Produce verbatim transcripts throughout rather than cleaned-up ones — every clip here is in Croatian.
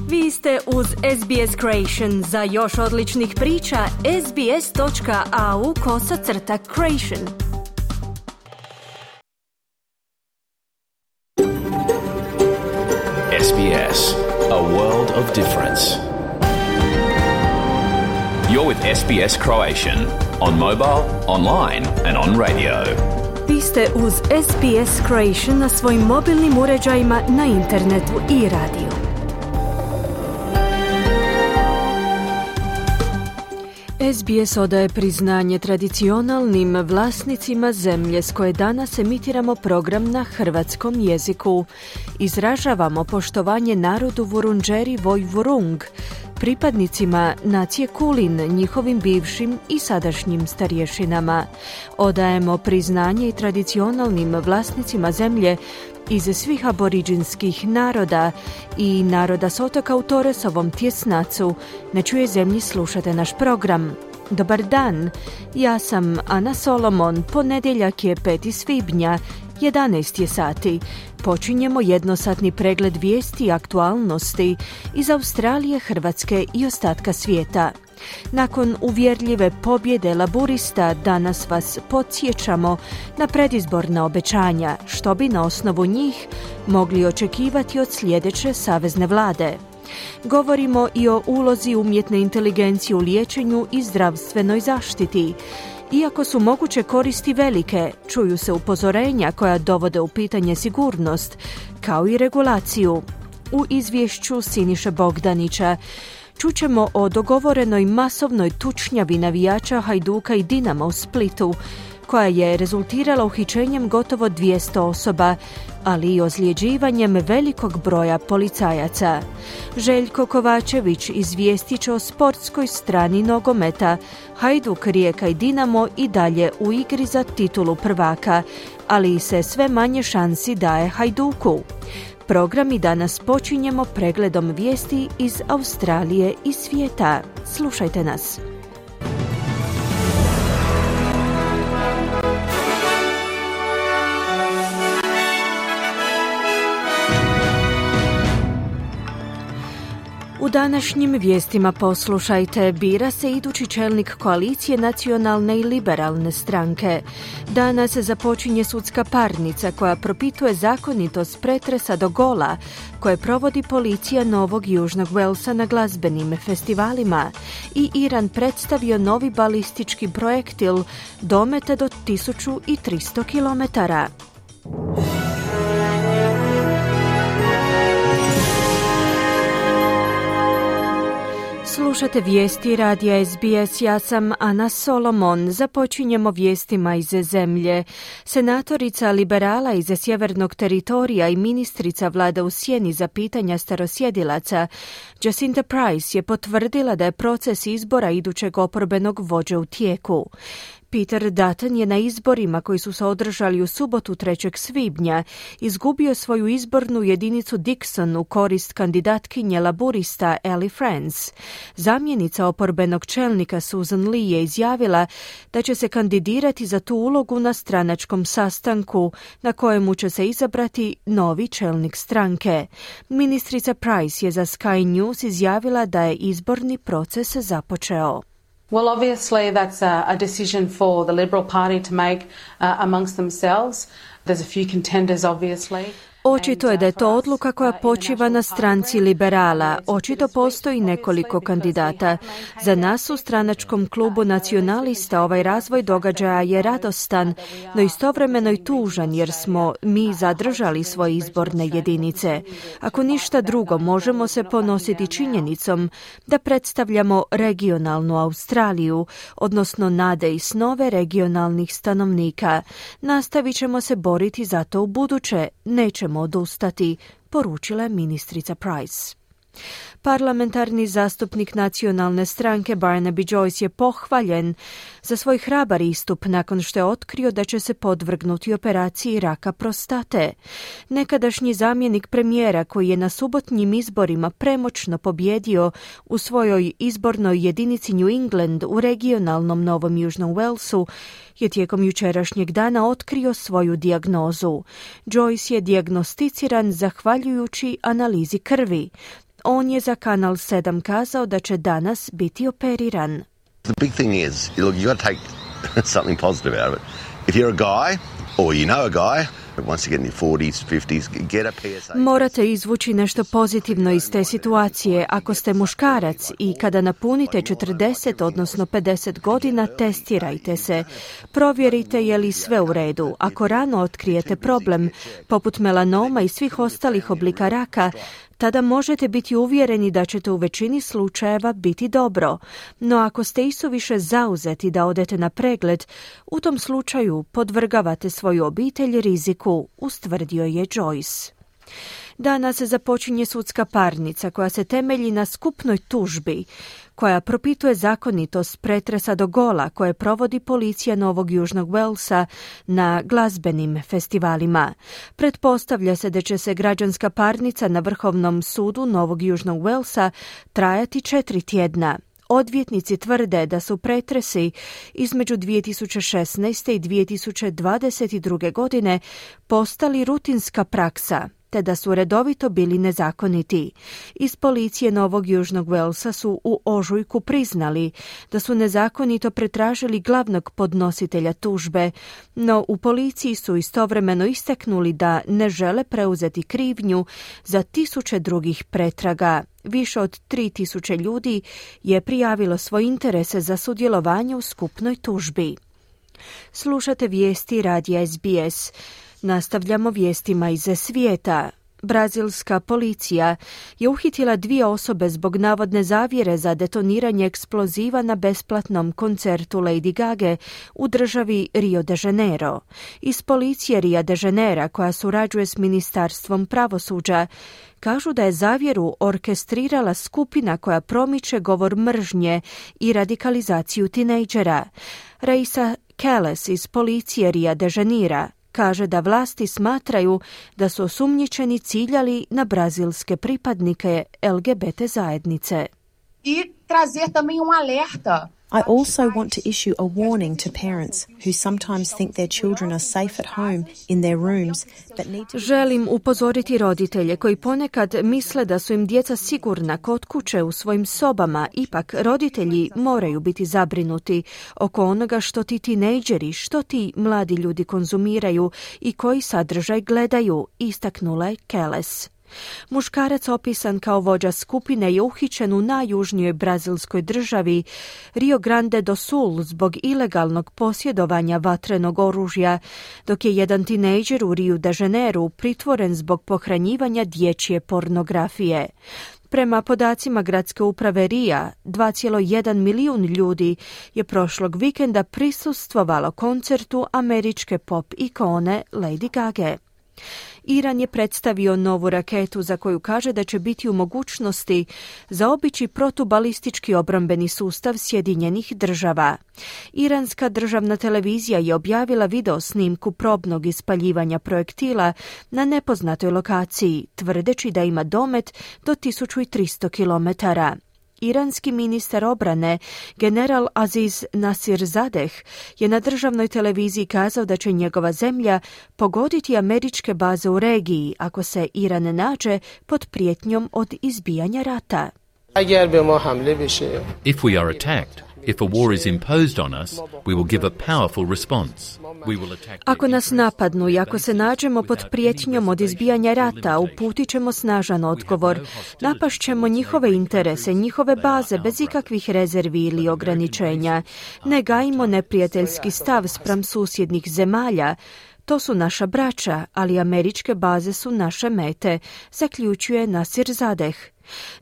Vi ste uz S B S Creation. Za još odličnih priča, sbs.au kosacrta creation. S B S, a world of difference. You're with S B S Croatian on mobile, online and on radio. Vi ste uz S B S Creation na svojim mobilnim uređajima, na internetu i radiju. S B S odaje priznanje tradicionalnim vlasnicima zemlje s koje danas emitiramo program na hrvatskom jeziku. Izražavamo poštovanje narodu Vurundjeri Vojvurung, pripadnicima nacije Kulin, njihovim bivšim i sadašnjim starješinama. Odajemo priznanje i tradicionalnim vlasnicima zemlje iz svih aboriđinskih naroda i naroda s otoka u Torresovom tjesnacu. Na čijoj zemlji slušate naš program. Dobar dan, ja sam Ana Solomon, ponedjeljak je peti svibnja, jedanaest je sati. Počinjemo jednosatni pregled vijesti i aktualnosti iz Australije, Hrvatske i ostatka svijeta. Nakon uvjerljive pobjede Laburista danas vas podsjećamo na predizborna obećanja, što bi na osnovu njih mogli očekivati od sljedeće savezne vlade. Govorimo i o ulozi umjetne inteligencije u liječenju i zdravstvenoj zaštiti. Iako su moguće koristi velike, čuju se upozorenja koja dovode u pitanje sigurnost, kao i regulaciju. U izvješću Siniše Bogdanića čućemo o dogovorenoj masovnoj tučnjavi navijača Hajduka i Dinama u Splitu, koja je rezultirala uhićenjem gotovo dvjesto osoba, ali i ozljeđivanjem velikog broja policajaca. Željko Kovačević izvijestit će o sportskoj strani nogometa. Hajduk, Rijeka i Dinamo i dalje u igri za titulu prvaka, ali se sve manje šansi daje Hajduku. Program i danas počinjemo pregledom vijesti iz Australije i svijeta. Slušajte nas. U današnjim vijestima poslušajte, bira se idući čelnik koalicije Nacionalne i liberalne stranke. Danas započinje sudska parnica koja propituje zakonitost pretresa do gola koje provodi policija Novog Južnog Walesa na glazbenim festivalima i Iran predstavio novi balistički projektil dometa do tisuću tristo kilometara. Slušate vijesti radija S B S, ja sam Ana Solomon. Započinjemo vijestima iz zemlje. Senatorica liberala iz sjevernog teritorija i ministrica vlada u sjeni za pitanja starosjedilaca Jacinta Price je potvrdila da je proces izbora idućeg oporbenog vođe u tijeku. Peter Dutton je na izborima koji su se održali u subotu trećeg svibnja izgubio svoju izbornu jedinicu Dixon u korist kandidatkinje laburista Ellie France. Zamjenica oporbenog čelnika Susan Lee je izjavila da će se kandidirati za tu ulogu na stranačkom sastanku na kojemu će se izabrati novi čelnik stranke. Ministrica Price je za Sky News izjavila da je izborni proces započeo. Well, obviously that's a, a decision for the Liberal Party to make uh, amongst themselves. There's a few contenders, obviously. Očito je da je to odluka koja počiva na stranci liberala. Očito postoji nekoliko kandidata. Za nas u stranačkom klubu nacionalista ovaj razvoj događaja je radostan, no istovremeno i tužan jer smo mi zadržali svoje izborne jedinice. Ako ništa drugo, možemo se ponositi činjenicom da predstavljamo regionalnu Australiju, odnosno nade i snove regionalnih stanovnika. Nastavit ćemo se boriti za to u buduće. Nećemo odustati, poručila je ministrica Price. Parlamentarni zastupnik nacionalne stranke Barnaby Joyce je pohvaljen za svoj hrabar istup nakon što je otkrio da će se podvrgnuti operaciji raka prostate. Nekadašnji zamjenik premijera koji je na subotnjim izborima premoćno pobjedio u svojoj izbornoj jedinici New England u regionalnom Novom Južnom Walesu je tijekom jučerašnjeg dana otkrio svoju dijagnozu. Joyce je dijagnosticiran zahvaljujući analizi krvi. On je za Kanal sedam kazao da će danas biti operiran. The big thing is, look, you got to take something positive out of it. If you're a guy, or you know a guy, once you get in your forties, fifties, get a P S A. Morate izvući nešto pozitivno iz te situacije. Ako ste muškarac i kada napunite četrdeset, odnosno pedeset godina, testirajte se. Provjerite je li sve u redu. Ako rano otkrijete problem, poput melanoma i svih ostalih oblika raka, tada možete biti uvjereni da ćete u većini slučajeva biti dobro. No ako ste isuviše zauzeti da odete na pregled, u tom slučaju podvrgavate svoju obitelj riziku, ustvrdio je Joyce. Danas započinje sudska parnica koja se temelji na skupnoj tužbi, koja propituje zakonitost pretresa do gola koje provodi policija Novog Južnog Walesa na glazbenim festivalima. Pretpostavlja se da će se građanska parnica na Vrhovnom sudu Novog Južnog Walesa trajati četiri tjedna. Odvjetnici tvrde da su pretresi između dvije tisuće šesnaeste i dvije tisuće dvadeset druge. godine postali rutinska praksa, te da su redovito bili nezakoniti. Iz policije Novog Južnog Walesa su u ožujku priznali da su nezakonito pretražili glavnog podnositelja tužbe, no u policiji su istovremeno istaknuli da ne žele preuzeti krivnju za tisuće drugih pretraga. Više od tri tisuće ljudi je prijavilo svoje interese za sudjelovanje u skupnoj tužbi. Slušate vijesti radija S B S. Nastavljamo vijestima iz svijeta. Brazilska policija je uhitila dvije osobe zbog navodne zavjere za detoniranje eksploziva na besplatnom koncertu Lady Gage u državi Rio de Janeiro. Iz policije Rio de Janeira, koja surađuje s Ministarstvom pravosuđa, kažu da je zavjeru orkestrirala skupina koja promiče govor mržnje i radikalizaciju tinejdžera. Raisa Keles iz policije Rio de Janeira kaže da vlasti smatraju da su osumnjičeni ciljali na brazilske pripadnike L G B T zajednice. I trazer também um alerta. I also want to issue a warning to parents who sometimes think their children are safe at home in their rooms, but need to... Želim upozoriti roditelje koji ponekad misle da su im djeca sigurna kod kuće u svojim sobama. Ipak roditelji moraju biti zabrinuti oko onoga što ti tinejdžeri, što ti mladi ljudi konzumiraju i koji sadržaj gledaju, istaknula je Keles. Muškarac opisan kao vođa skupine je uhićen u najjužnijoj brazilskoj državi Rio Grande do Sul zbog ilegalnog posjedovanja vatrenog oružja, dok je jedan tinejdžer u Rio de Janeiru pritvoren zbog pohranjivanja dječje pornografije. Prema podacima gradske uprave Rija, dva zarez jedan milijun ljudi je prošlog vikenda prisustvovalo koncertu američke pop ikone Lady Gage. Iran je predstavio novu raketu za koju kaže da će biti u mogućnosti zaobići protubalistički obrambeni sustav Sjedinjenih država. Iranska državna televizija je objavila video snimku probnog ispaljivanja projektila na nepoznatoj lokaciji, tvrdeći da ima domet do tisuću tristo kilometara. Iranski ministar obrane, general Aziz Nasirzadeh, je na državnoj televiziji kazao da će njegova zemlja pogoditi američke baze u regiji ako se Iran nađe pod prijetnjom od izbijanja rata. If we are attacked, if a war is imposed on us, we will give a powerful response. We will attack. Ako nas napadnu i ako se nađemo pod prijetnjom od izbijanja rata, uputit ćemo snažan odgovor. Napašćemo njihove interese, njihove baze bez ikakvih rezervi ili ograničenja. Ne gajimo neprijateljski stav spram susjednih zemalja. To su naša braća, ali američke baze su naše mete, zaključuje Nasirzadeh.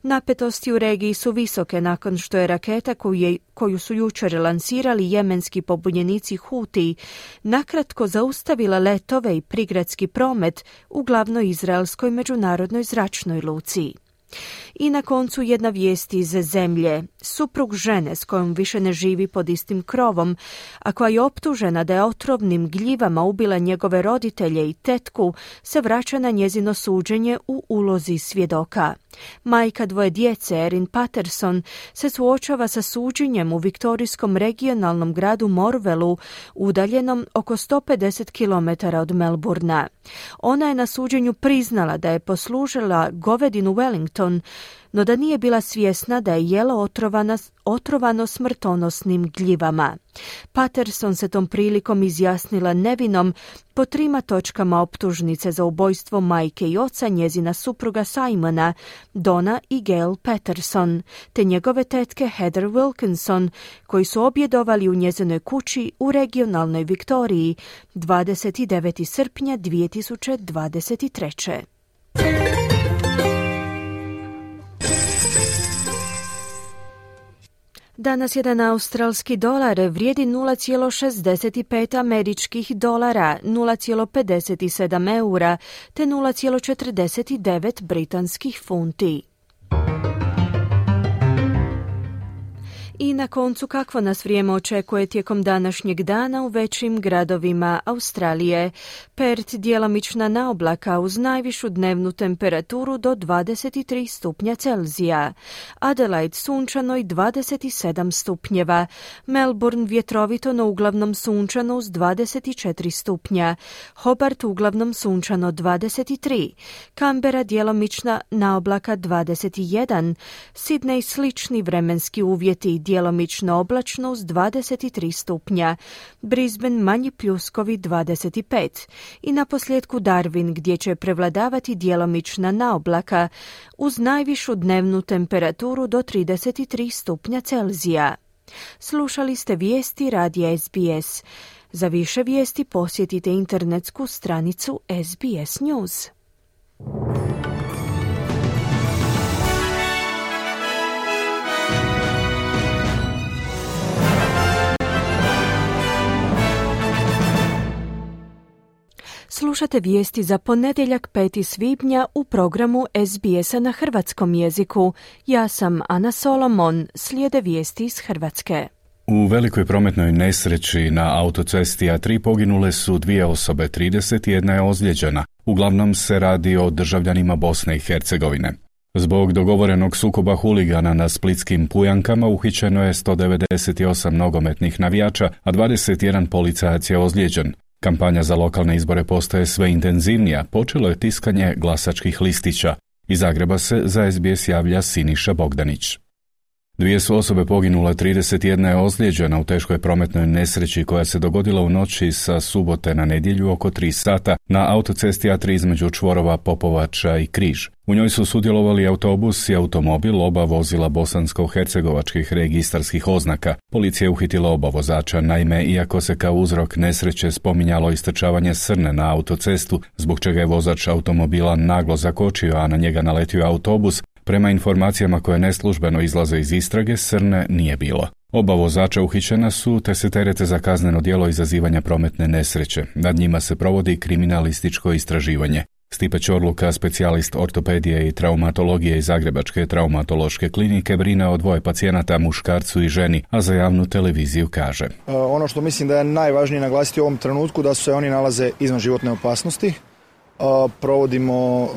Napetosti u regiji su visoke nakon što je raketa koju, je, koju su jučer lansirali jemenski pobunjenici Huti nakratko zaustavila letove i prigradski promet u glavnoj izraelskoj međunarodnoj zračnoj luci. I na koncu jedna vijest iz zemlje. Suprug žene s kojom više ne živi pod istim krovom, a koja je optužena da je otrovnim gljivama ubila njegove roditelje i tetku, se vraća na njezino suđenje u ulozi svjedoka. Majka dvoje djece, Erin Patterson, se suočava sa suđenjem u viktorijskom regionalnom gradu Morvelu, udaljenom oko sto pedeset kilometara od Melburna. Ona je na suđenju priznala da je poslužila govedinu Wellington Clinton, no da nije bila svjesna da je jelo otrovana, otrovano smrtonosnim gljivama. Patterson se tom prilikom izjasnila nevinom po trima točkama optužnice za ubojstvo majke i oca njezina supruga Simona, Donna i Gail Patterson, te njegove tetke Heather Wilkinson, koji su objedovali u njezinoj kući u regionalnoj Viktoriji dvadeset devetog srpnja dvije tisuće dvadeset treće. Danas jedan australski dolar vrijedi nula zarez šezdeset pet američkih dolara, nula zarez pedeset sedam eura te nula zarez četrdeset devet britanskih funti. I na koncu, kakvo nas vrijeme očekuje tijekom današnjeg dana u većim gradovima Australije. Perth djelomična naoblaka uz najvišu dnevnu temperaturu do dvadeset tri stupnja Celzija. Adelaide sunčano i dvadeset sedam stupnjeva. Melbourne vjetrovito no uglavnom sunčano uz dvadeset četiri stupnja. Hobart uglavnom sunčano dvadeset tri. Canberra djelomična naoblaka dvadeset jedan. Sydney slični vremenski uvjeti, djelomično oblačno uz dvadeset tri stupnja, Brisbane manji pljuskovi dvadeset pet i na posljedku Darwin gdje će prevladavati djelomična naoblaka uz najvišu dnevnu temperaturu do trideset tri stupnja Celzija. Slušali ste vijesti radija S B S. Za više vijesti posjetite internetsku stranicu S B S News. Slušate vijesti za ponedjeljak petog svibnja u programu S B S-a na hrvatskom jeziku. Ja sam Ana Solomon, slijede vijesti iz Hrvatske. U velikoj prometnoj nesreći na autocesti A tri poginule su dvije osobe, trideset jedna je ozlijeđena. Uglavnom se radi o državljanima Bosne i Hercegovine. Zbog dogovorenog sukoba huligana na splitskim Pujankama uhićeno je sto devedeset osam nogometnih navijača, a dvadeset jedan policajac je ozlijeđen. Kampanja za lokalne izbore postaje sve intenzivnija, počelo je tiskanje glasačkih listića. Iz Zagreba se za S B S javlja Siniša Bogdanić. Dvije su osobe poginule, trideset jedna je ozlijeđena u teškoj prometnoj nesreći koja se dogodila u noći sa subote na nedjelju oko tri sata na autocesti A tri između čvorova Popovača i Križ. U njoj su sudjelovali autobus i automobil, oba vozila bosansko-hercegovačkih registarskih oznaka. Policija je uhitila oba vozača, naime, iako se kao uzrok nesreće spominjalo istrčavanje srne na autocestu, zbog čega je vozač automobila naglo zakočio, a na njega naletio autobus, prema informacijama koje neslužbeno izlaze iz istrage, srne nije bilo. Oba vozača uhićena su te se terete za kazneno djelo izazivanja prometne nesreće. Nad njima se provodi kriminalističko istraživanje. Stipe Ćorluka, specijalist ortopedije i traumatologije iz Zagrebačke traumatološke klinike, brine o dvoje pacijenata, muškarcu i ženi, a za javnu televiziju kaže: Ono što mislim da je najvažnije naglasiti u ovom trenutku da se oni nalaze izvan životne opasnosti. Provodimo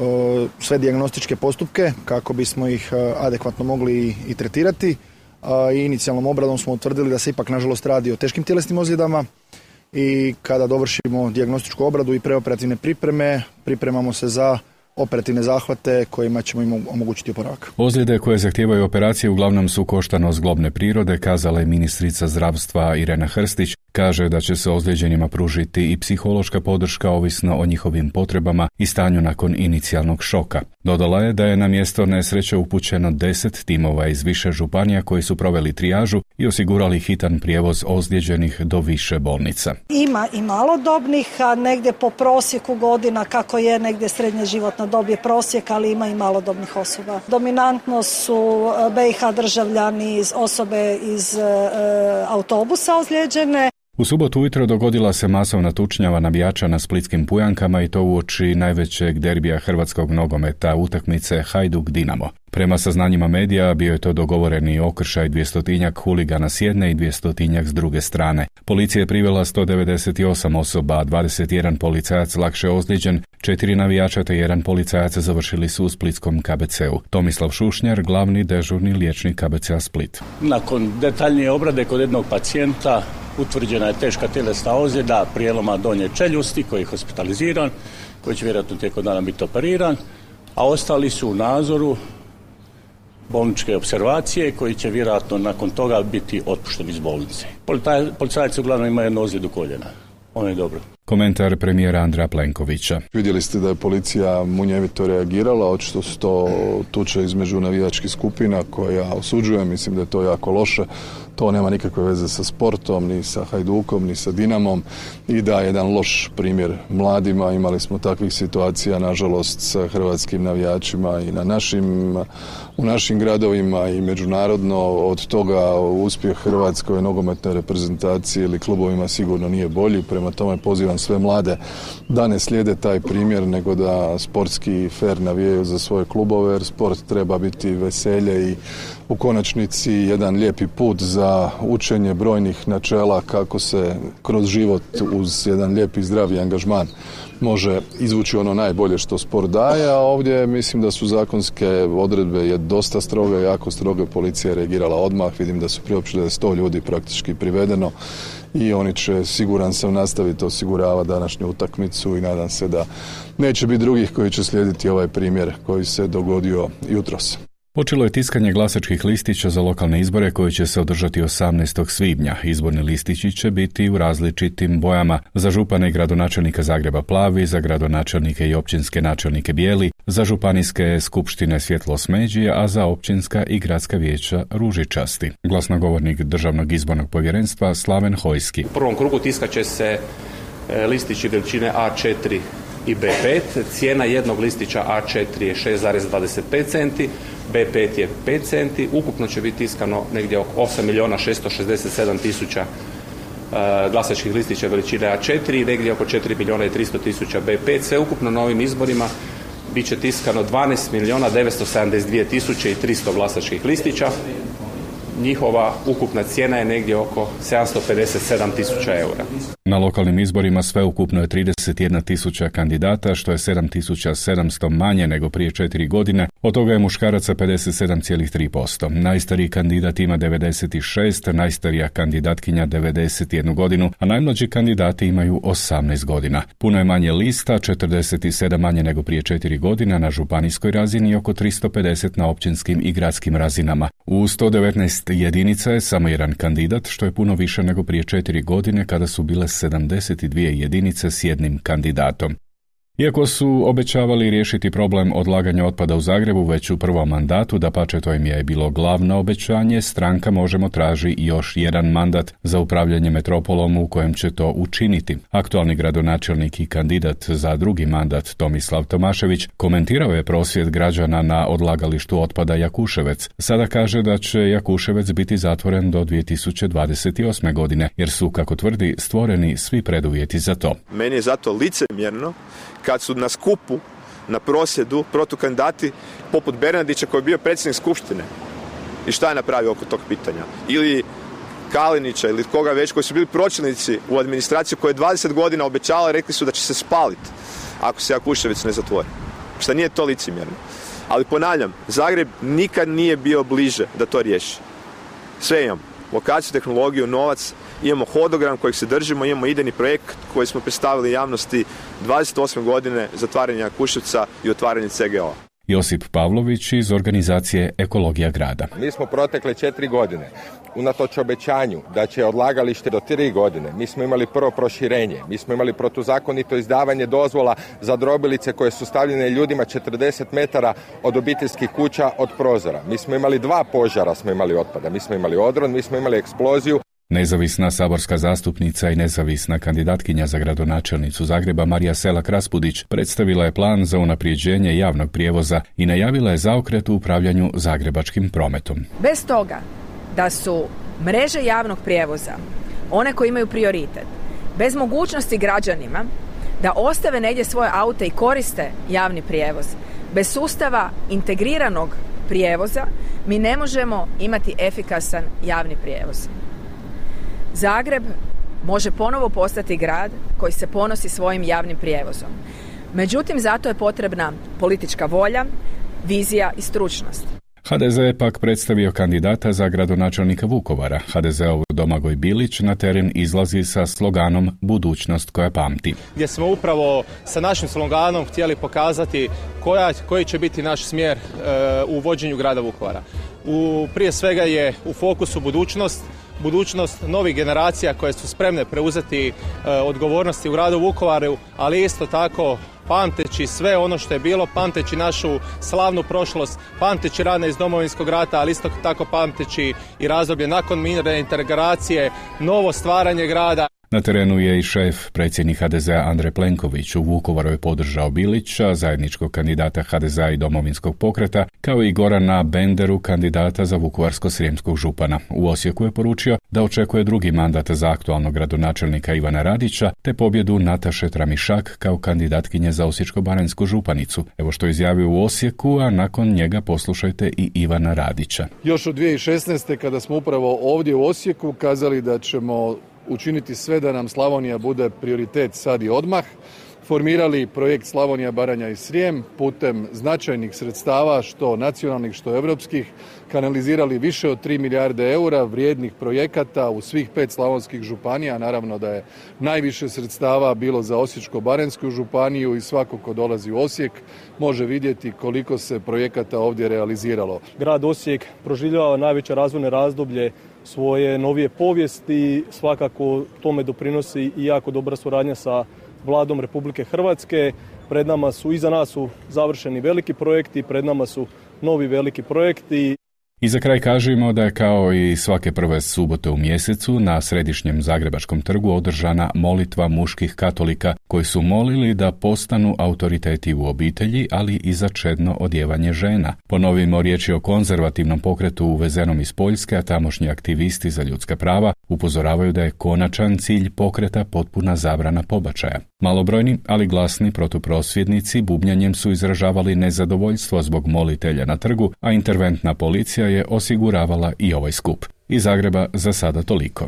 sve dijagnostičke postupke kako bismo ih adekvatno mogli i tretirati. I inicijalnom obradom smo utvrdili da se ipak nažalost radi o teškim tjelesnim ozljedama i kada dovršimo dijagnostičku obradu i preoperativne pripreme, pripremamo se za operativne zahvate kojima ćemo im omogućiti oporavak. Ozljede koje zahtijevaju operacije uglavnom su koštano zglobne prirode, kazala je ministrica zdravstva Irena Hrstić. Kaže da će se ozlijeđenima pružiti i psihološka podrška ovisno o njihovim potrebama i stanju nakon inicijalnog šoka. Dodala je da je na mjesto nesreće upućeno deset timova iz više županija koji su proveli trijažu i osigurali hitan prijevoz ozlijeđenih do više bolnica. Ima i malodobnih, a negdje po prosjeku godina, kako je negdje srednje životna dob je prosjek, ali ima i malodobnih osoba. Dominantno su B i H državljani, iz osobe iz e, autobusa ozlijeđene. U subotu ujutro dogodila se masovna tučnjava navijača na splitskim Pujankama i to uoči najvećeg derbija hrvatskog nogometa, utakmice Hajduk-Dinamo. Prema saznanjima medija bio je to dogovoreni okršaj dvjestotinjak huligana s jedne i dvjestotinjak s druge strane. Policija je privela sto devedeset osam osoba, a dvadeset jedan policajac lakše ozlijeđen, četiri navijača te jedan policajac završili su u splitskom K B C-u. Tomislav Šušnjar, glavni dežurni liječnik K B C-a Split. Nakon detaljnije obrade kod jednog pacijenta utvrđena je teška tjelesna ozljeda prijeloma donje čeljusti koji je hospitaliziran, koji će vjerojatno tijekom dana biti operiran, a ostali su u nadzoru bolničke observacije koji će vjerojatno nakon toga biti otpušteni iz bolnice. Policajci uglavnom imaju jednu ozljedu koljena. Ono je dobro. Komentar premijera Andreja Plenkovića. Vidjeli ste da je policija munjevito reagirala, očito su to tuče između navijačkih skupina koje ja osuđujem, mislim da je to jako loše. To nema nikakve veze sa sportom, ni sa Hajdukom, ni sa Dinamom i da jedan loš primjer mladima. Imali smo takvih situacija, nažalost, sa hrvatskim navijačima i na našim, u našim gradovima i međunarodno. Od toga uspjeh hrvatskoj nogometnoj reprezentaciji ili klubovima sigurno nije bolji. Prema tome pozivam sve mlade da ne slijede taj primjer, nego da sportski fer navijaju za svoje klubove, jer sport treba biti veselje i u konačnici jedan lijepi put za učenje brojnih načela kako se kroz život uz jedan lijepi zdravi angažman može izvući ono najbolje što sport daje, a ovdje mislim da su zakonske odredbe je dosta stroge, jako stroge, policija je reagirala odmah, vidim da su priopćili da je sto ljudi praktički privedeno i oni će, siguran sam, nastaviti osiguravati današnju utakmicu i nadam se da neće biti drugih koji će slijediti ovaj primjer koji se dogodio jutros. Počelo je tiskanje glasačkih listića za lokalne izbore koji će se održati osamnaestog svibnja. Izborni listići će biti u različitim bojama. Za župana i gradonačelnika Zagreba plavi, za gradonačelnike i općinske načelnike bijeli, za županijske skupštine svjetlo smeđi, a za općinska i gradska vijeća ružičasti. Glasnogovornik Državnog izbornog povjerenstva Slaven Hojski. U prvom krugu tiskat će se listići veličine A četiri i B pet. Cijena jednog listića A četiri je šest zarez dvadeset pet centi, B pet je pet centi, ukupno će biti tiskano negdje oko osam milijuna šesto šezdeset sedam tisuća uh, glasačkih listića veličine A četiri i negdje oko četiri milijuna i tristo tisuća B pet. Sve ukupno na ovim izborima bit će tiskano dvanaest milijuna devetsto sedamdeset dvije tisuće i tristo glasačkih listića. Njihova ukupna cijena je negdje oko sedamsto pedeset sedam tisuća eura. Na lokalnim izborima sve ukupno je trideset jedna tisuća kandidata, što je sedam tisuća sedamsto manje nego prije četiri godine. Od toga je muškaraca pedeset sedam zarez tri posto. Najstariji kandidat ima devedeset šest, najstarija kandidatkinja devedeset jednu godinu, a najmlađi kandidati imaju osamnaest godina. Puno je manje lista, četrdeset sedam manje nego prije četiri godina na županijskoj razini i oko tristo pedeset na općinskim i gradskim razinama. U sto devetnaest jedinica je samo jedan kandidat, što je puno više nego prije četiri godine kada su bile sedamdeset dvije jedinice s jednim kandidatom. Iako su obećavali riješiti problem odlaganja otpada u Zagrebu već u prvom mandatu, dapače to im je bilo glavno obećanje, stranka Možemo traži još jedan mandat za upravljanje metropolom u kojem će to učiniti. Aktualni gradonačelnik i kandidat za drugi mandat Tomislav Tomašević komentirao je prosvjed građana na odlagalištu otpada Jakuševec. Sada kaže da će Jakuševec biti zatvoren do dvije tisuće dvadeset osme godine, jer su, kako tvrdi, stvoreni svi preduvjeti za to. Meni je zato licemjerno kad su na skupu, na prosvjedu, protukandidati poput Bernardića koji je bio predsjednik skupštine. I šta je napravio oko tog pitanja? Ili Kalinića ili koga već koji su bili pročelnici u administraciji koji je dvadeset godina obećala, rekli su da će se spaliti ako se Jakuševec ne zatvori. Šta nije to licemjerno. Ali ponavljam, Zagreb nikad nije bio bliže da to riješi. Sve imamo. Lokaciju, tehnologiju, novac, imamo hodogram kojeg se držimo, imamo idejni projekt koji smo predstavili javnosti dvadeset osme godine zatvaranja Jakuševca i otvaranje C G O. Josip Pavlović iz organizacije Ekologija grada. Mi smo protekle četiri godine, unatoč obećanju da će odlagalište do tri godine, mi smo imali prvo proširenje, mi smo imali protuzakonito izdavanje dozvola za drobilice koje su stavljene ljudima četrdeset metara od obiteljskih kuća od prozora. Mi smo imali dva požara, smo imali otpada, mi smo imali odron, mi smo imali eksploziju. Nezavisna saborska zastupnica i nezavisna kandidatkinja za gradonačelnicu Zagreba Marija Selak-Raspudić predstavila je plan za unaprijeđenje javnog prijevoza i najavila je zaokret u upravljanju zagrebačkim prometom. Bez toga da su mreže javnog prijevoza one koje imaju prioritet, bez mogućnosti građanima da ostave negdje svoje aute i koriste javni prijevoz, bez sustava integriranog prijevoza mi ne možemo imati efikasan javni prijevoz. Zagreb može ponovo postati grad koji se ponosi svojim javnim prijevozom. Međutim, zato je potrebna politička volja, vizija i stručnost. ha de ze je pak predstavio kandidata za gradonačelnika Vukovara. ha de zeov Domagoj Bilić na teren izlazi sa sloganom Budućnost koja pamti. Gdje smo upravo sa našim sloganom htjeli pokazati koja, koji će biti naš smjer e, u vođenju grada Vukovara. U, prije svega je u fokusu budućnost, budućnost novih generacija koje su spremne preuzeti e, odgovornosti u gradu Vukovaru, ali isto tako pamteći sve ono što je bilo, pamteći našu slavnu prošlost, pamteći rane iz Domovinskog rata, ali isto tako pamteći i razdoblje nakon mirne integracije, novo stvaranje grada. Na terenu je i šef, predsjednik ha de zea Andrej Plenković. U Vukovaru je podržao Bilića, zajedničkog kandidata ha de zea i Domovinskog pokreta, kao i Gorana Benderu, kandidata za vukovarsko-srijemskog župana. U Osijeku je poručio da očekuje drugi mandat za aktualnog gradonačelnika Ivana Radića, te pobjedu Nataše Tramišak kao kandidatkinje za osječko-baranjsku županicu. Evo što je izjavio u Osijeku, a nakon njega poslušajte i Ivana Radića. Još od dvije tisuće šesnaeste. kada smo upravo ovdje u Osijeku kazali da ćemo učiniti sve da nam Slavonija bude prioritet sad i odmah, formirali projekt Slavonija, Baranja i Srijem putem značajnih sredstava, što nacionalnih, što europskih, kanalizirali više od tri milijarde eura vrijednih projekata u svih pet slavonskih županija. Naravno da je najviše sredstava bilo za Osječko-baranjsku županiju i svako ko dolazi u Osijek može vidjeti koliko se projekata ovdje realiziralo. Grad Osijek proživljava najveće razvojne razdoblje svoje novije povijesti, svakako tome doprinosi i jako dobra suradnja sa Vladom Republike Hrvatske. Pred nama su, iza nas su završeni veliki projekti, pred nama su novi veliki projekti. I za kraj kažemo da je kao i svake prve subote u mjesecu na središnjem Zagrebačkom trgu održana molitva muških katolika koji su molili da postanu autoriteti u obitelji, ali i za čedno odjevanje žena. Ponovimo, riječ je o konzervativnom pokretu uvezenom iz Poljske, a tamošnji aktivisti za ljudska prava upozoravaju da je konačan cilj pokreta potpuna zabrana pobačaja. Malobrojni, ali glasni protuprosvjednici bubnjanjem su izražavali nezadovoljstvo zbog molitelja na trgu, a interventna policija je osiguravala i ovaj skup. Iz Zagreba za sada toliko.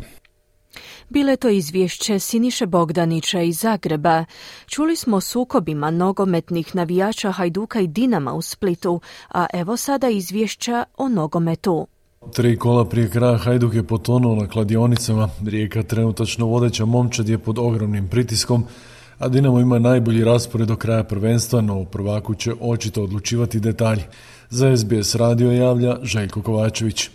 Bile to izvješće Siniše Bogdanića iz Zagreba. Čuli smo o sukobima nogometnih navijača Hajduka i Dinama u Splitu, a evo sada izvješća o nogometu. Tri kola prije kraja Hajduk je potonuo na kladionicama. Rijeka, trenutačno vodeća momčad, je pod ogromnim pritiskom, a Dinamo ima najbolji raspored do kraja prvenstva, no u prvaku će očito odlučivati detalji. Za es be es radio javlja Željko Kovačević.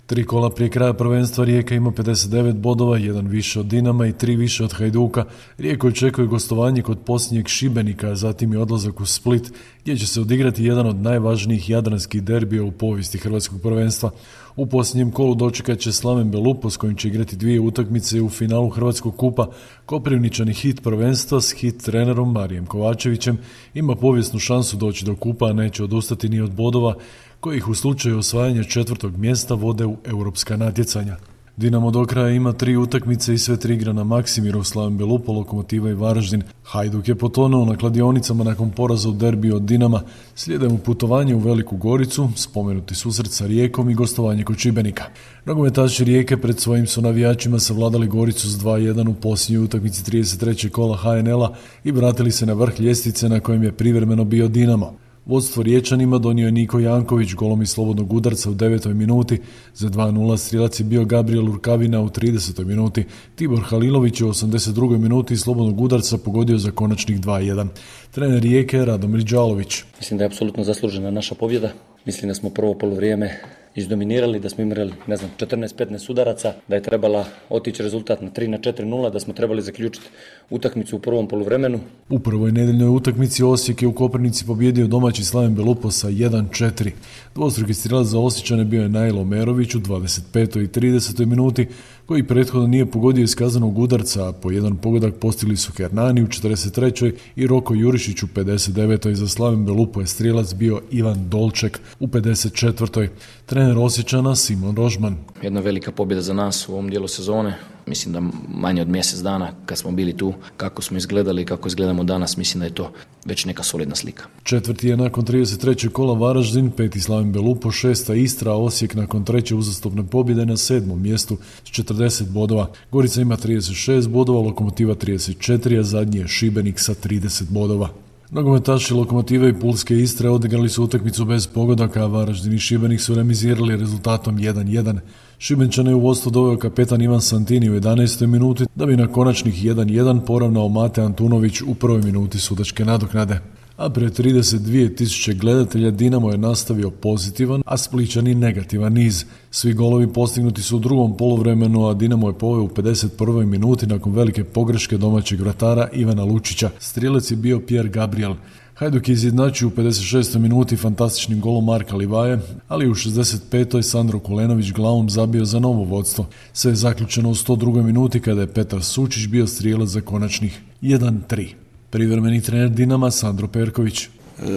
Tri kola prije kraja prvenstva Rijeka ima pedeset devet bodova, jedan više od Dinama i tri više od Hajduka. Rijeku očekuje gostovanje kod posljednjeg Šibenika, a zatim i odlazak u Split, gdje će se odigrati jedan od najvažnijih jadranskih derbija u povijesti hrvatskog prvenstva. U posljednjem kolu dočekat će Slaven Belupo, s kojim će igrati dvije utakmice u finalu Hrvatskog kupa. Koprivničani hit prvenstva s hit trenerom Marijem Kovačevićem ima povijesnu šansu doći do kupa, a neće odustati ni od bodova kojih u slučaju osvajanja četvrtog mjesta vode u europska natjecanja. Dinamo do kraja ima tri utakmice i sve tri igra na Maksimirov, Slaven Belupo, Lokomotiva i Varaždin. Hajduk je potonuo na kladionicama nakon poraza u derbiju od Dinama. Slijede mu putovanje u Veliku Goricu, spomenuti susret sa Rijekom i gostovanje kod Šibenika. Nogometaši Rijeke pred svojim su navijačima savladali Goricu s dva jedan u posljednjoj utakmici trideset trećeg kola ha en el-a i vratili se na vrh ljestvice na kojem je privremeno bio Dinamo. Vodstvo Riječanima donio je Niko Janković golom iz slobodnog udarca u devetoj minuti. Za dva nula strijelac je bio Gabriel Urkavina u tridesetoj minuti. Tibor Halilović je u osamdeset drugoj minuti iz slobodnog udarca pogodio za konačnih dva jedan. Trener Rijeke Radomir Đalović. Mislim da je apsolutno zaslužena naša pobjeda. Mislim da smo prvo poluvrijeme izdominirali, da smo imali, ne znam, četrnaest petnaest udaraca, da je trebala otići rezultat na tri na četiri nula, da smo trebali zaključiti utakmicu u prvom poluvremenu. U prvoj nedeljnoj utakmici Osijek je u Koprivnici pobjedio domaći Slaven Belupo sa jedan četiri. Dvostruki strijelac za Osječane bio je Najlo Merović u dvadeset petoj i tridesetoj minuti, koji prethodno nije pogodio iz kaznenog udarca, a po jedan pogodak postigli su Hernani u četrdeset trećoj i Roko Jurišić u pedeset devetoj. Za Slaven Belupo je strijelac bio Ivan Dolček u pedeset četvrtoj. Trener Osječana Simon Rožman. Jedna velika pobjeda za nas u ovom dijelu sezone. Mislim da manje od mjesec dana kad smo bili tu, kako smo izgledali i kako izgledamo danas, mislim da je to već neka solidna slika. Četvrti je nakon trideset trećeg kola Varaždin, peti Slaven Belupo, šesta Istra, a Osijek nakon treće uzastopne pobjede na sedmom mjestu s četrdeset bodova. Gorica ima trideset šest bodova, Lokomotiva trideset četiri, a zadnji je Šibenik sa trideset bodova. Nogometaši Lokomotive i Pulske Istre odigrali su utakmicu bez pogodaka, a Varaždin i Šibenik su remizirali rezultatom jedan jedan. Šibenčane je u vodstvo doveo kapetan Ivan Santini u jedanaestoj minuti, da bi na konačnih jedan jedan poravnao Mate Antunović u prvoj minuti sudačke nadoknade. A pre trideset dvije tisuće gledatelja Dinamo je nastavio pozitivan, a Splićani negativan niz. Svi golovi postignuti su u drugom poluvremenu, a Dinamo je poveo u pedeset prvoj minuti nakon velike pogreške domaćeg vratara Ivana Lučića. Strijelac je bio Pierre Gabriel. Hajduk je izjednačio u pedeset šestoj minuti fantastičnim golom Marka Livaje, ali u šezdeset petoj Sandro Kulenović glavom zabio za novo vodstvo. Sve je zaključeno u sto drugoj minuti kada je Petar Sučić bio strijelac za konačnih jedan tri. Privremeni trener Dinama Sandro Perković. E,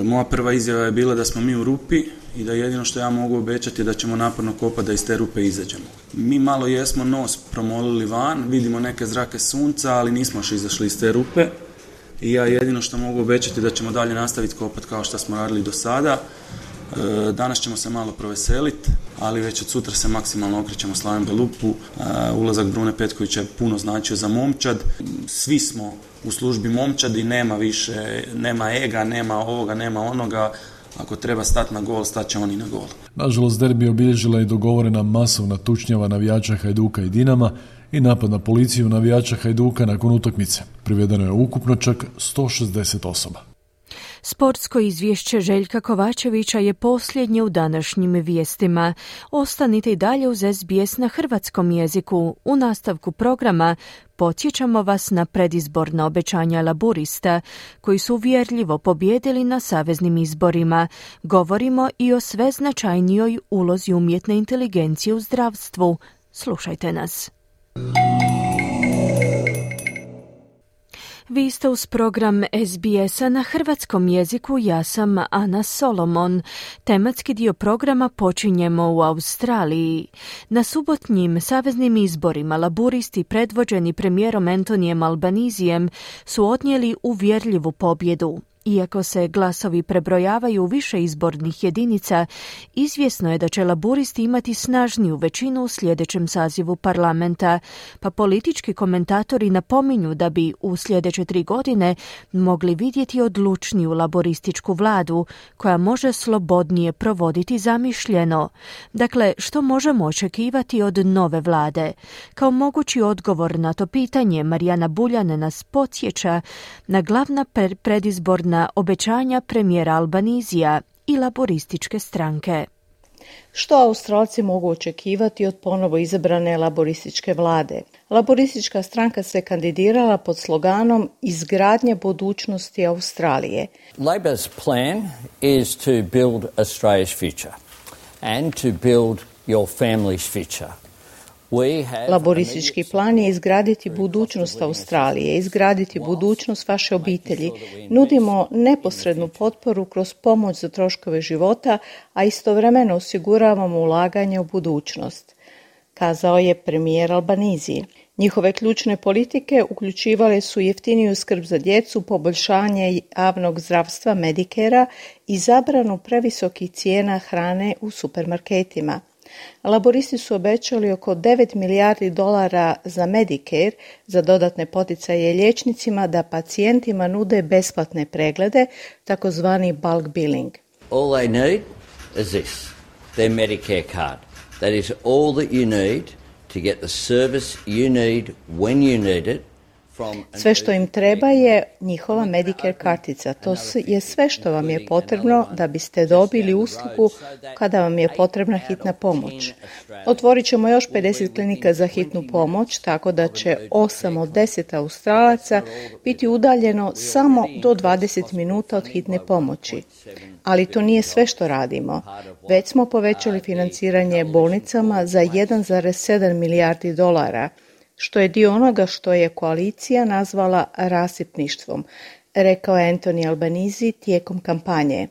moja prva izjava je bila da smo mi u rupi i da jedino što ja mogu obećati je da ćemo naporno kopati da iz te rupe izađemo. Mi malo jesmo nos promolili van, vidimo neke zrake sunca, ali nismo još izašli iz te rupe i ja jedino što mogu obećati da ćemo dalje nastaviti kopati kao što smo radili do sada. E, danas ćemo se malo proveseliti, ali već od sutra se maksimalno okrećemo Slaven Belupu. E, ulazak Brune Petkovića je puno značio za momčad. Svi smo u službi momčadi, nema više, nema ega, nema ovoga, nema onoga. Ako treba stati na gol, stat će oni na gol. Nažalost, derbi obilježila i dogovorena masovna tučnjava navijača Hajduka i Dinama i napad na policiju navijača Hajduka nakon utakmice. Privedeno je ukupno čak sto šezdeset osoba. Sportsko izvješće Željka Kovačevića je posljednje u današnjim vijestima. Ostanite i dalje uz S B S na hrvatskom jeziku. U nastavku programa podsjećamo vas na predizborna obećanja Laburista, koji su uvjerljivo pobijedili na saveznim izborima. Govorimo i o sve značajnijoj ulozi umjetne inteligencije u zdravstvu. Slušajte nas. Vi ste uz program S B S-a na hrvatskom jeziku, ja sam Ana Solomon. Tematski dio programa počinjemo u Australiji. Na subotnjim saveznim izborima laburisti predvođeni premijerom Antonijem Albanizijem su odnijeli uvjerljivu pobjedu. Iako se glasovi prebrojavaju u više izbornih jedinica, izvjesno je da će laburisti imati snažniju većinu u sljedećem sazivu parlamenta, pa politički komentatori napominju da bi u sljedeće tri godine mogli vidjeti odlučniju laborističku vladu koja može slobodnije provoditi zamišljeno. Dakle, što možemo očekivati od nove vlade? Kao mogući odgovor na to pitanje, Marijana Buljan nas podsjeća na glavna predizborna na obećanja premijera Albanizija i laborističke stranke. Što Australci mogu očekivati od ponovo izabrane laborističke vlade? Laboristička stranka se kandidirala pod sloganom Izgradnja budućnosti Australije. Labor's plan is to build Australia's future and to build your family's future. Laboristički plan je izgraditi budućnost Australije, izgraditi budućnost vaše obitelji. Nudimo neposrednu potporu kroz pomoć za troškove života, a istovremeno osiguravamo ulaganje u budućnost, kazao je premijer Albanizije. Njihove ključne politike uključivale su jeftiniju skrb za djecu, poboljšanje javnog zdravstva Medicare-a i zabranu previsokih cijena hrane u supermarketima. Laboristi su obećali oko devet milijardi dolara za Medicare, za dodatne poticaje liječnicima da pacijentima nude besplatne preglede, takozvani bulk billing. All they need is this, their Medicare card. That is all that you need to get the service you need when you need it. Sve što im treba je njihova Medicare kartica. To je sve što vam je potrebno da biste dobili uslugu kada vam je potrebna hitna pomoć. Otvorit ćemo još pedeset klinika za hitnu pomoć, tako da će osam od deset Australaca biti udaljeno samo do dvadeset minuta od hitne pomoći. Ali to nije sve što radimo. Već smo povećali financiranje bolnicama za jedan zarez sedam milijardi dolara, što je dio onoga što je koalicija nazvala rasipništvom, rekao je Anthony Albanese tijekom kampanje.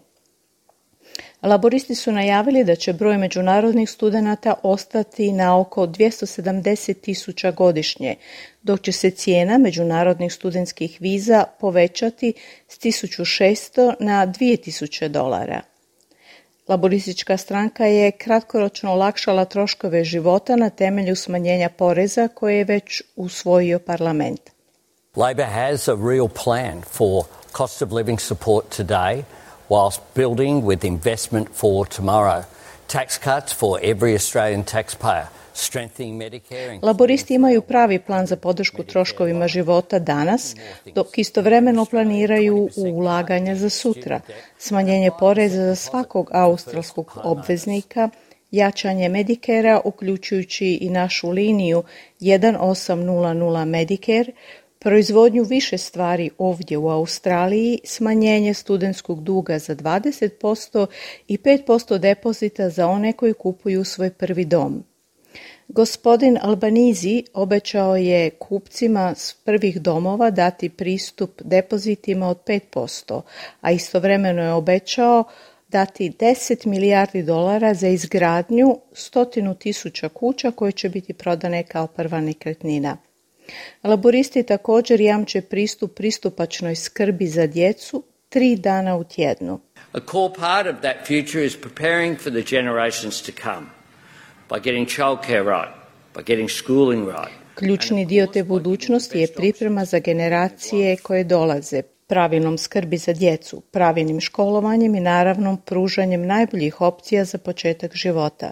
Laboristi su najavili da će broj međunarodnih studenata ostati na oko dvjesto sedamdeset tisuća godišnje, dok će se cijena međunarodnih studentskih viza povećati s tisuću šesto na dvije tisuće dolara. Laboristička stranka je kratkoročno olakšala troškove života na temelju smanjenja poreza koje je već usvojio parlament. Labor has a real plan for cost of living support today whilst building with investment for tomorrow. Tax cuts for every Australian taxpayer. Laboristi imaju pravi plan za podršku troškovima života danas, dok istovremeno planiraju ulaganja za sutra, smanjenje poreza za svakog australskog obveznika, jačanje Medicarea, uključujući i našu liniju jedan osam nula nula Medicare, proizvodnju više stvari ovdje u Australiji, smanjenje studentskog duga za dvadeset posto i pet posto depozita za one koji kupuju svoj prvi dom. Gospodin Albanizi obećao je kupcima s prvih domova dati pristup depozitima od pet posto, a istovremeno je obećao dati deset milijardi dolara za izgradnju stotinu tisuća kuća koje će biti prodane kao prva nekretnina. Laboristi također jamče pristup pristupačnoj skrbi za djecu tri dana u tjednu. A core part of that future is preparing for the generations to come. By getting childcare right, by getting schooling right. Ključni dio te budućnosti je priprema za generacije koje dolaze, pravilnom skrbi za djecu, pravilnim školovanjem i naravno pružanjem najboljih opcija za početak života.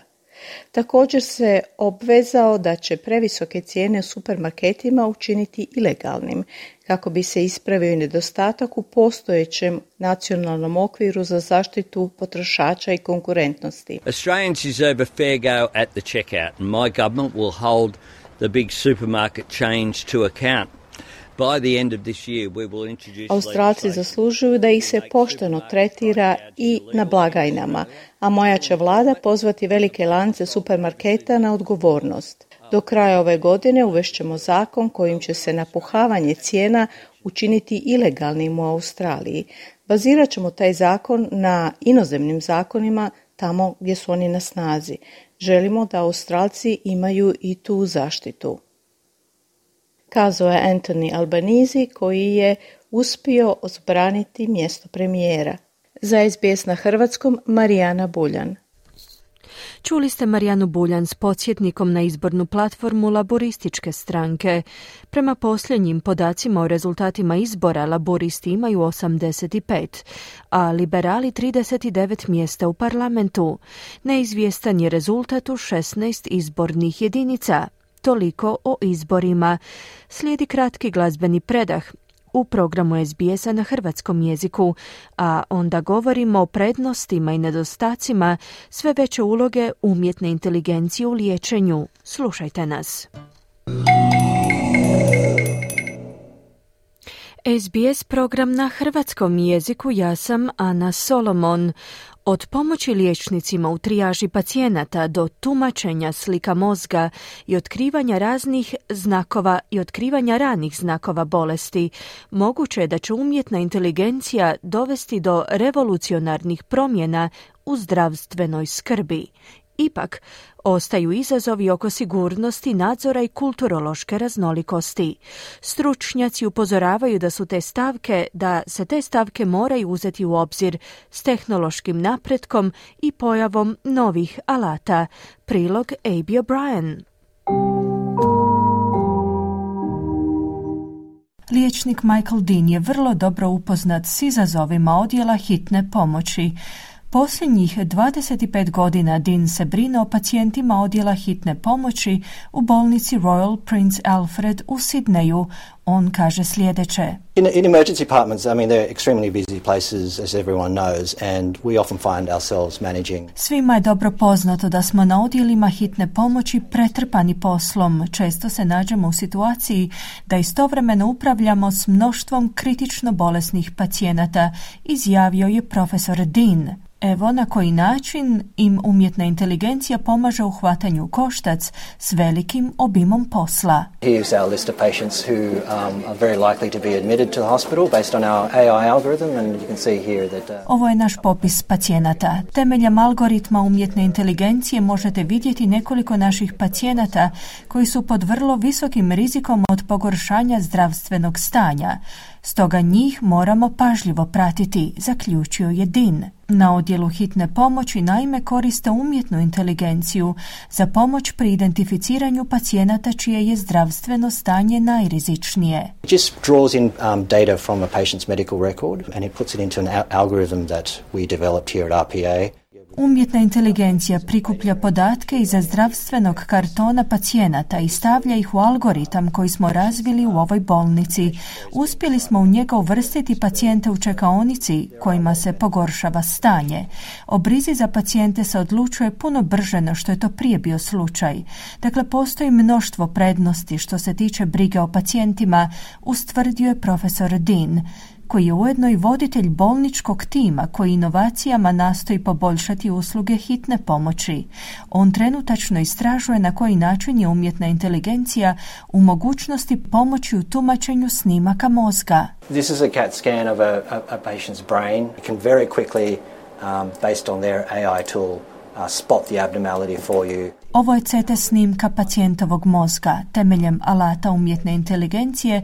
Također se obvezao da će previsoke cijene u supermarketima učiniti ilegalnim, kako bi se ispravio nedostatak u postojećem nacionalnom okviru za zaštitu potrošača i konkurentnosti. Australians deserve a fair go at the checkout, and my government will hold the big supermarket chains to account. By the end of this year, we will introduce Australci zaslužuju da ih se pošteno tretira i na blagajnama, a moja će vlada pozvati velike lance supermarketa na odgovornost. Do kraja ove godine uvešćemo zakon kojim će se napuhavanje cijena učiniti ilegalnim u Australiji. Bazirat ćemo taj zakon na inozemnim zakonima tamo gdje su oni na snazi. Želimo da Australci imaju i tu zaštitu. Kazao je Anthony Albanese, koji je uspio odbraniti mjesto premijera. Za S B S na hrvatskom, Marijana Buljan. Čuli ste Marijanu Buljan s podsjetnikom na izbornu platformu Laborističke stranke. Prema posljednjim podacima o rezultatima izbora, laboristi imaju osamdeset pet, a liberali trideset devet mjesta u parlamentu. Neizvjestan je rezultat u šesnaest izbornih jedinica. Toliko o izborima. Slijedi kratki glazbeni predah u programu S B S-a na hrvatskom jeziku, a onda govorimo o prednostima i nedostacima sve veće uloge umjetne inteligencije u liječenju. Slušajte nas. S B S program na hrvatskom jeziku, ja sam Ana Solomon. Od pomoći liječnicima u trijaži pacijenata do tumačenja slika mozga i otkrivanja raznih znakova i otkrivanja ranih znakova bolesti, moguće je da će umjetna inteligencija dovesti do revolucionarnih promjena u zdravstvenoj skrbi. Ipak, ostaju izazovi oko sigurnosti, nadzora i kulturološke raznolikosti. Stručnjaci upozoravaju da su te stavke, da se te stavke moraju uzeti u obzir s tehnološkim napretkom i pojavom novih alata. Prilog Abby O'Brien. Liječnik Michael Dean je vrlo dobro upoznat s izazovima odjela hitne pomoći. Posljednjih dvadeset pet godina Dean se brine o pacijentima odjela hitne pomoći u bolnici Royal Prince Alfred u Sidneju. On kaže sljedeće. In, in emergency departments, I mean, they're extremely busy places, as everyone knows, and we often find ourselves managing. Svima je dobro poznato da smo na odjelima hitne pomoći pretrpani poslom. Često se nađemo u situaciji da istovremeno upravljamo s mnoštvom kritično bolesnih pacijenata, izjavio je profesor Dean. Evo na koji način im umjetna inteligencija pomaže u hvatanju koštac s velikim obimom posla. Here's our list of patients who um, are very likely to be admitted to the hospital based on our A I algorithm, and you can see here that uh... Ovo je naš popis pacijenata. Temeljem algoritma umjetne inteligencije možete vidjeti nekoliko naših pacijenata koji su pod vrlo visokim rizikom od pogoršanja zdravstvenog stanja. Stoga njih moramo pažljivo pratiti, zaključio je Dean. Na odjelu hitne pomoći naime koriste umjetnu inteligenciju za pomoć pri identificiranju pacijenata čije je zdravstveno stanje najrizičnije. It just draws in um, data from a patient's medical record and it puts it into an al- algorithm that we developed here at R P A. Umjetna inteligencija prikuplja podatke iza zdravstvenog kartona pacijenata i stavlja ih u algoritam koji smo razvili u ovoj bolnici. Uspjeli smo u njega uvrstiti pacijente u čekaonici kojima se pogoršava stanje. O brizi za pacijente se odlučuje puno brže no što je to prije bio slučaj. Dakle, postoji mnoštvo prednosti što se tiče brige o pacijentima, ustvrdio je profesor Dean, koji je ujedno i voditelj bolničkog tima koji inovacijama nastoji poboljšati usluge hitne pomoći. On trenutačno istražuje na koji način je umjetna inteligencija u mogućnosti pomoći u tumačenju snimaka mozga. This is a CAT scan of a, a, a patient's brain. It can very quickly, um, based on their A I tool, uh, spot the abnormality for you. Ovo je C T snimka pacijentovog mozga. Temeljem alata umjetne inteligencije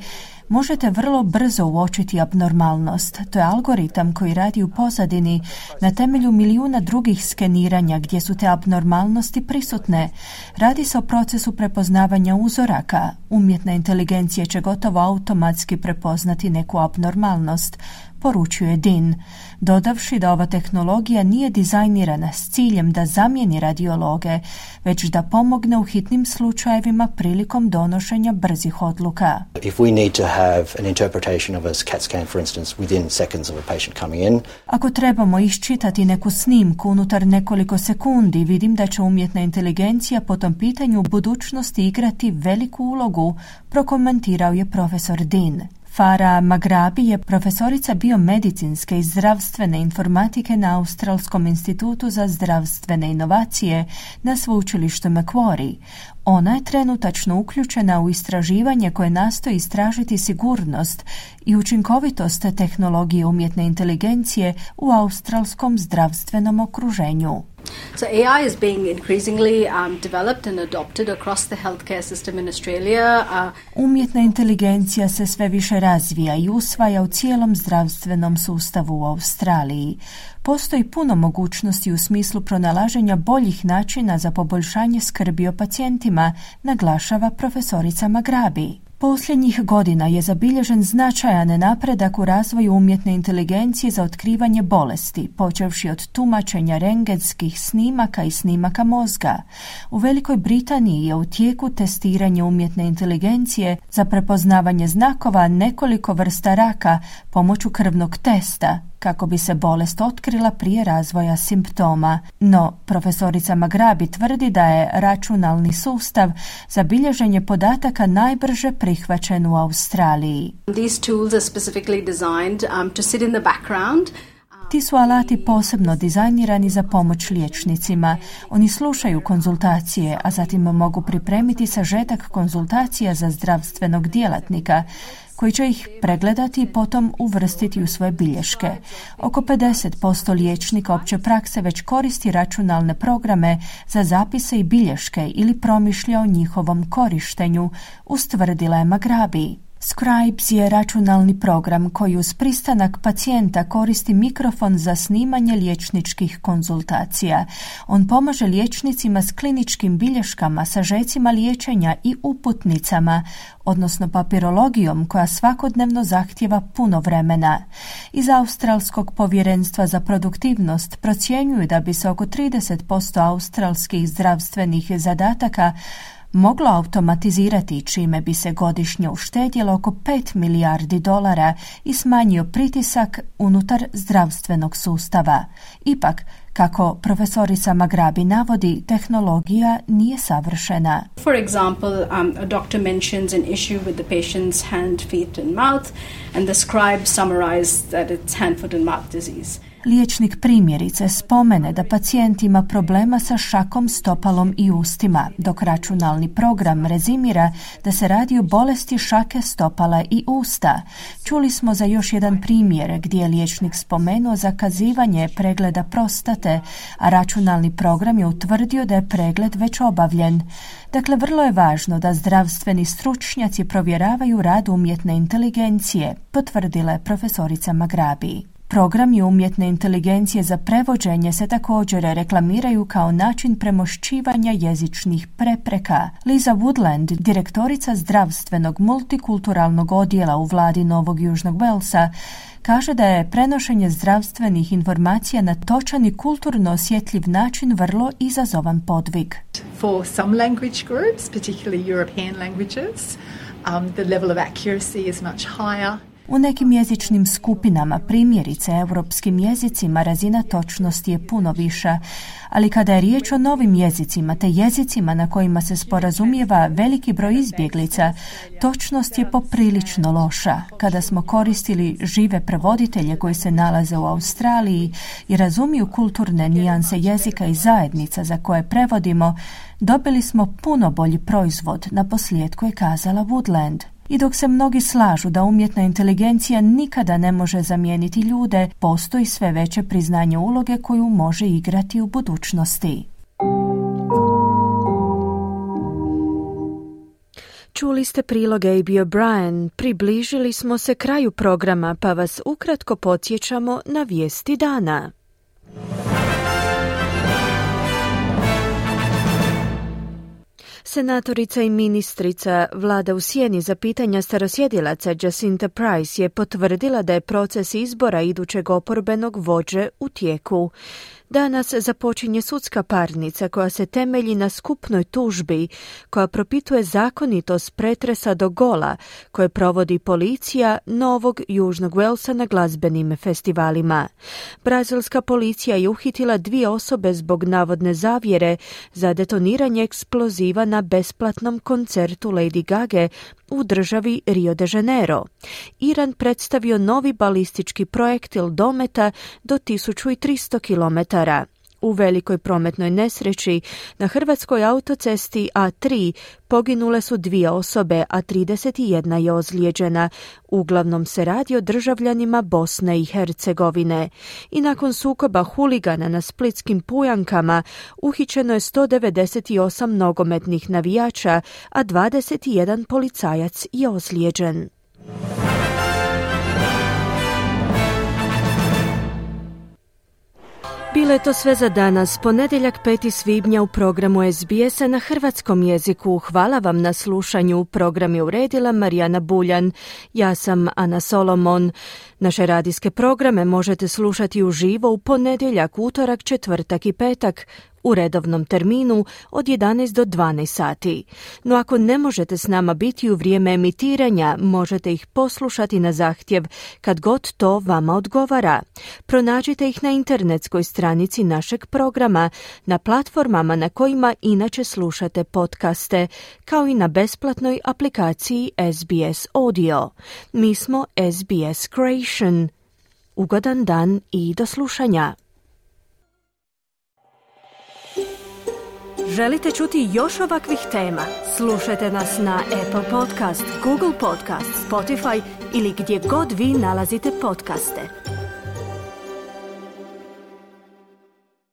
možete vrlo brzo uočiti abnormalnost. To je algoritam koji radi u pozadini na temelju milijuna drugih skeniranja gdje su te abnormalnosti prisutne. Radi se o procesu prepoznavanja uzoraka. Umjetna inteligencija će gotovo automatski prepoznati neku abnormalnost, poručuje Dean, dodavši da ova tehnologija nije dizajnirana s ciljem da zamijeni radiologe, već da pomogne u hitnim slučajevima prilikom donošenja brzih odluka. If we need to have an interpretation of a CAT scan, for instance, within seconds of a patient coming in. Ako trebamo iščitati neku snimku unutar nekoliko sekundi, vidim da će umjetna inteligencija po tom pitanju u budućnosti igrati veliku ulogu, prokomentirao je profesor Dean. Farah Maghrabi je profesorica biomedicinske i zdravstvene informatike na Australskom institutu za zdravstvene inovacije na sveučilištu Macquarie. Ona je trenutačno uključena u istraživanje koje nastoji istražiti sigurnost i učinkovitost tehnologije umjetne inteligencije u australskom zdravstvenom okruženju. So A I is being increasingly um, developed and adopted across the healthcare system in Australia. Uh, Umjetna inteligencija se sve više razvija i usvaja u cijelom zdravstvenom sustavu u Australiji. Postoji puno mogućnosti u smislu pronalaženja boljih načina za poboljšanje skrbi o pacijentima, naglašava profesorica Maghrabi. Posljednjih godina je zabilježen značajan napredak u razvoju umjetne inteligencije za otkrivanje bolesti, počevši od tumačenja rentgenskih snimaka i snimaka mozga. U Velikoj Britaniji je u tijeku testiranje umjetne inteligencije za prepoznavanje znakova nekoliko vrsta raka pomoću krvnog testa, kako bi se bolest otkrila prije razvoja simptoma. No, profesorica Maghrabi tvrdi da je računalni sustav za bilježenje podataka najbrže prihvaćen u Australiji. These tools are specifically designed um, to sit in the background. Ti su alati posebno dizajnirani za pomoć liječnicima. Oni slušaju konzultacije, a zatim mogu pripremiti sažetak konzultacija za zdravstvenog djelatnika, koji će ih pregledati i potom uvrstiti u svoje bilješke. Oko pedeset posto liječnika opće prakse već koristi računalne programe za zapise i bilješke ili promišlja o njihovom korištenju, ustvrdila je Maghrabi. Scribes je računalni program koji uz pristanak pacijenta koristi mikrofon za snimanje liječničkih konzultacija. On pomaže liječnicima s kliničkim bilješkama, sažecima liječenja i uputnicama, odnosno papirologijom koja svakodnevno zahtijeva puno vremena. Iz Australskog povjerenstva za produktivnost procjenjuju da bi se oko trideset posto australskih zdravstvenih zadataka moglo automatizirati, čime bi se godišnje uštedjelo oko pet milijardi dolara i smanjio pritisak unutar zdravstvenog sustava. Ipak, kako profesorica Maghrabi navodi, tehnologija nije savršena. For example, um, a doctor mentions an issue with the patient's hand, feet and mouth, and the scribe summarized that it's hand, foot and mouth disease. liječnik primjerice spomene da pacijent ima problema sa šakom, stopalom i ustima, dok računalni program rezimira da se radi o bolesti šake, stopala i usta. Čuli smo za još jedan primjer gdje je liječnik spomenuo zakazivanje pregleda prostate, a računalni program je utvrdio da je pregled već obavljen. Dakle, vrlo je važno da zdravstveni stručnjaci provjeravaju rad umjetne inteligencije, potvrdila je profesorica Magrabi. Programi umjetne inteligencije za prevođenje se također reklamiraju kao način premošćivanja jezičnih prepreka. Liza Woodland, direktorica zdravstvenog multikulturalnog odjela u vladi Novog Južnog Walesa, kaže da je prenošenje zdravstvenih informacija na točan i kulturno osjetljiv način vrlo izazovan podvig. For some language groups, particularly European languages, um, the level of accuracy is much higher. U nekim jezičnim skupinama, primjerice europskim jezicima, razina točnosti je puno viša, ali kada je riječ o novim jezicima te jezicima na kojima se sporazumijeva veliki broj izbjeglica, točnost je poprilično loša. Kada smo koristili žive prevoditelje koji se nalaze u Australiji i razumiju kulturne nijanse jezika i zajednica za koje prevodimo, dobili smo puno bolji proizvod, na posljedku je kazala Woodland. I dok se mnogi slažu da umjetna inteligencija nikada ne može zamijeniti ljude, postoji sve veće priznanje uloge koju može igrati u budućnosti. Čuli ste prilog A B O'Brien. Približili smo se kraju programa, pa vas ukratko podsjećamo na vijesti dana. Senatorica i ministrica vlada u sjeni za pitanja starosjedilaca Jacinta Price je potvrdila da je proces izbora idućeg oporbenog vođe u tijeku. Danas započinje sudska parnica koja se temelji na skupnoj tužbi koja propituje zakonitost pretresa do gola koje provodi policija Novog Južnog Walesa na glazbenim festivalima. Brazilska policija je uhitila dvije osobe zbog navodne zavjere za detoniranje eksploziva na besplatnom koncertu Lady Gage u državi Rio de Janeiro. Iran predstavio novi balistički projektil dometa do tisuću tristo kilometara. U velikoj prometnoj nesreći na hrvatskoj autocesti A tri poginule su dvije osobe, a trideset jedna je ozlijeđena. Uglavnom se radi o državljanima Bosne i Hercegovine. I nakon sukoba huligana na splitskim Pujankama uhićeno je sto devedeset osam nogometnih navijača, a dvadeset jedan policajac je ozlijeđen. Bilo je to sve za danas, ponedjeljak peti svibnja u programu S B S-a na hrvatskom jeziku. Hvala vam na slušanju. Program je uredila Marijana Buljan. Ja sam Ana Solomon. Naše radijske programe možete slušati uživo u ponedjeljak, utorak, četvrtak i petak u redovnom terminu od jedanaest do dvanaest sati. No ako ne možete s nama biti u vrijeme emitiranja, možete ih poslušati na zahtjev kad god to vama odgovara. Pronađite ih na internetskoj stranici našeg programa, na platformama na kojima inače slušate podcaste, kao i na besplatnoj aplikaciji S B S Audio. Mi smo S B S Creation. Ugodan dan i do slušanja. Želite čuti još ovakvih tema? Slušajte nas na Apple Podcast, Google Podcast, Spotify ili gdje god vi nalazite podcaste.